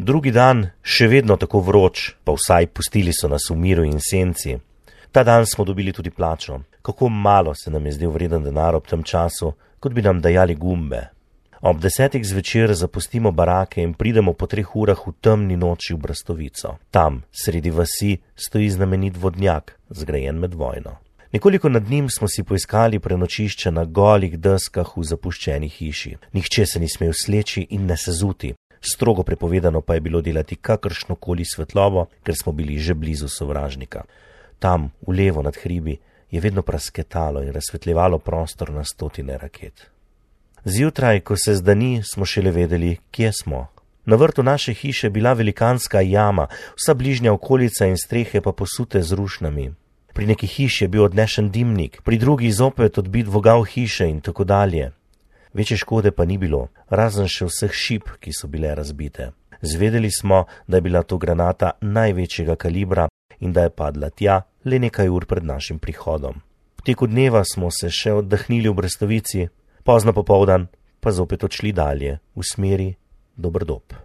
Drugi dan, še vedno tako vroč, pa vsaj pustili so nas v miru in senci. Ta dan smo dobili tudi plačo. Kako malo se nam je zdel vreden denar ob tem času, kot bi nam dajali gumbe. Ob 10 zvečer zapustimo barake in pridemo po 3 urah v temni noči v Brastovico. Tam, sredi vasi, stoji znamenit vodnjak, zgrajen med vojno. Nekoliko nad njim smo si poiskali prenočišče na golih deskah v zapuščeni hiši. Nihče se ni smel sleči in ne sezuti. Strogo prepovedano pa je bilo delati kakršnokoli svetlobo, ker smo bili že blizu sovražnika. Tam, v levo nad hribi, je vedno prasketalo in razsvetljevalo prostor na stotine raket. Zjutraj, ko se zdani, smo šele vedeli, kje smo. Na vrtu naše hiše bila velikanska jama, vsa bližnja okolica in strehe pa posute z rušnami. Pri neki hiši je bil odnešen dimnik, pri drugi zopet odbit vogal hiše in tako dalje. Večje škode pa ni bilo, razen še vseh šip, ki so bile razbite. Zvedeli smo, da je bila to granata največjega kalibra in da je padla tja le nekaj ur pred našim prihodom. V teku dneva smo se še oddahnili v Brastovici, pozno popoldan pa zopet odšli dalje v smeri Doberdob.